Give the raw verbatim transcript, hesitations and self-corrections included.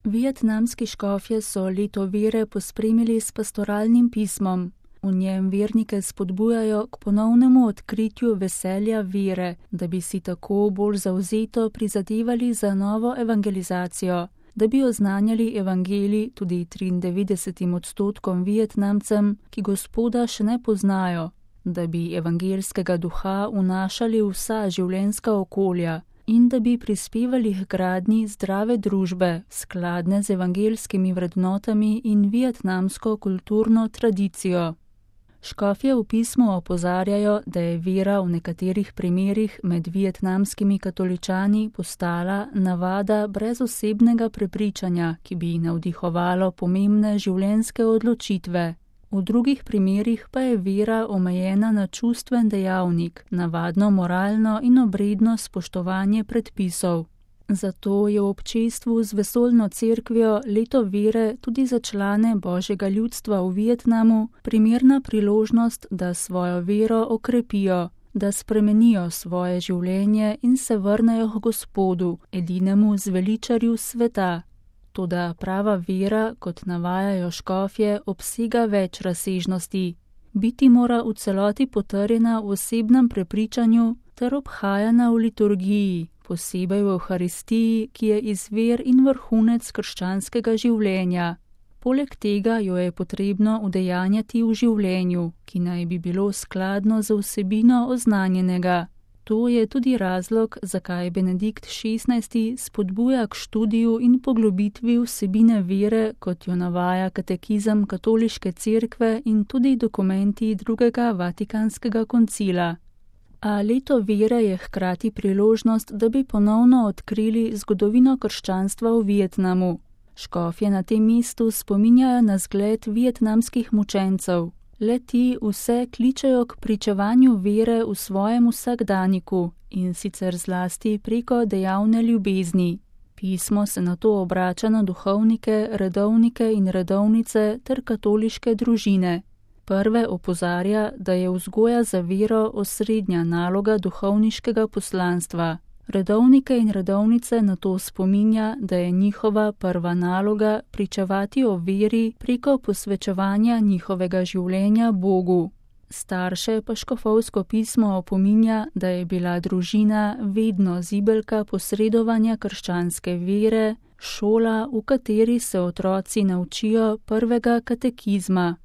Vietnamski škofje so leto vere pospremili s pastoralnim pismom. V njem vernike spodbujajo k ponovnemu odkritju veselja vere, da bi si tako bolj zavzeto prizadevali za novo evangelizacijo, da bi oznanjali evangelij tudi triindevetdesetim odstotkom Vietnamcem, ki Gospoda še ne poznajo, da bi evangelskega duha vnašali v vsa življenjska okolja in da bi prispevali k gradnji zdrave družbe, skladne z evangelskimi vrednotami in vietnamsko kulturno tradicijo. Škofje v pismu opozarjajo, da je vera v nekaterih primerih med vietnamskimi katoličani postala navada brez osebnega prepričanja, ki bi navdihovalo pomembne življenjske odločitve. V drugih primerih pa je vera omejena na čustven dejavnik, navadno moralno in obredno spoštovanje predpisov. Zato je v občestvu z vesoljno cerkvijo leto vere tudi za člane Božjega ljudstva v Vietnamu primerna priložnost, da svojo vero okrepijo, da spremenijo svoje življenje in se vrnejo k Gospodu, edinemu zveličarju sveta. Toda prava vera, kot navajajo škofje, obsega več razsežnosti. Biti mora v celoti potrjena v osebnem prepričanju ter obhajana v liturgiji, posebej v Evharistiji, ki je izvir in vrhunec krščanskega življenja. Poleg tega jo je potrebno udejanjati v življenju, ki naj bi bilo skladno z vsebino oznanjenega. To je tudi razlog, zakaj Benedikt šestnajsti spodbuja k študiju in poglobitvi vsebine vere, kot jo navaja katekizem Katoliške cerkve in tudi dokumenti drugega Vatikanskega koncila. A leto vere je hkrati priložnost, da bi ponovno odkrili zgodovino krščanstva v Vietnamu. Škofje na tem mestu spominjajo na zgled vietnamskih mučencev. Le-ti vse kličejo k pričevanju vere v svojem vsakdaniku in sicer zlasti preko dejavne ljubezni. Pismo se nato obrača na duhovnike, redovnike in redovnice ter katoliške družine. Prve opozarja, da je vzgoja za vero osrednja naloga duhovniškega poslanstva. Redovnike in redovnice nato spominja, da je njihova prva naloga pričevati o veri preko posvečevanja njihovega življenja Bogu. Starše pa škofovsko pismo opominja, da je bila družina vedno zibelka posredovanja krščanske vere, šola, v kateri se otroci naučijo prvega katekizma.